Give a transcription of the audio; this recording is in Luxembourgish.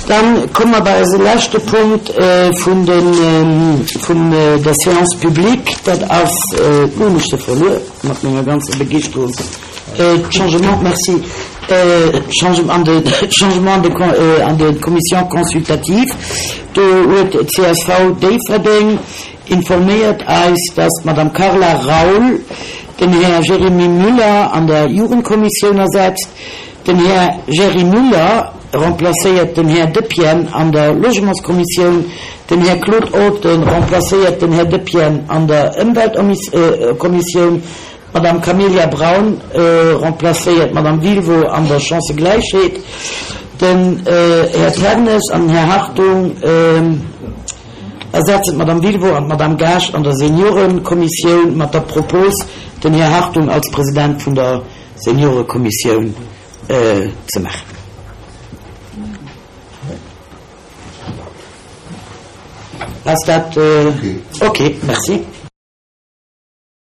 Dann komme mer bei eise leschte Punkt vun den, vun der Séance publique. Dat ass, elo hunn ech se verluer mat menger ganzer Begeeschterung, d'Changement, merci, d'Changement an de, d'Changement an de, an de Commissions consultatives. Do huet d'CSV Déifferdeng informéiert eis, dass d'Madame Carla Raoul den Här Jérémy Müller an der Jugendkommissioun ersetzt. Den Här Jerry Müller remplacéiert den Här Depienne an der Logementskommissioun. Den Här Claude Olten remplacéiert den Här Depienne an der Ëmweltkommissioun. D'Madame Camelia Braun remplacéiert d'Madame Wilwo an der Chancëgläichheet. Den Här Ternes an den Här Hartung ersetzen d'Madame Wilwo an d'Madame Gaasch an der Seniorenkommissioun mat der Propos, den Här Hartung als President vun der Seniorekommissioun ze maachen. Ass dat ok? Merci.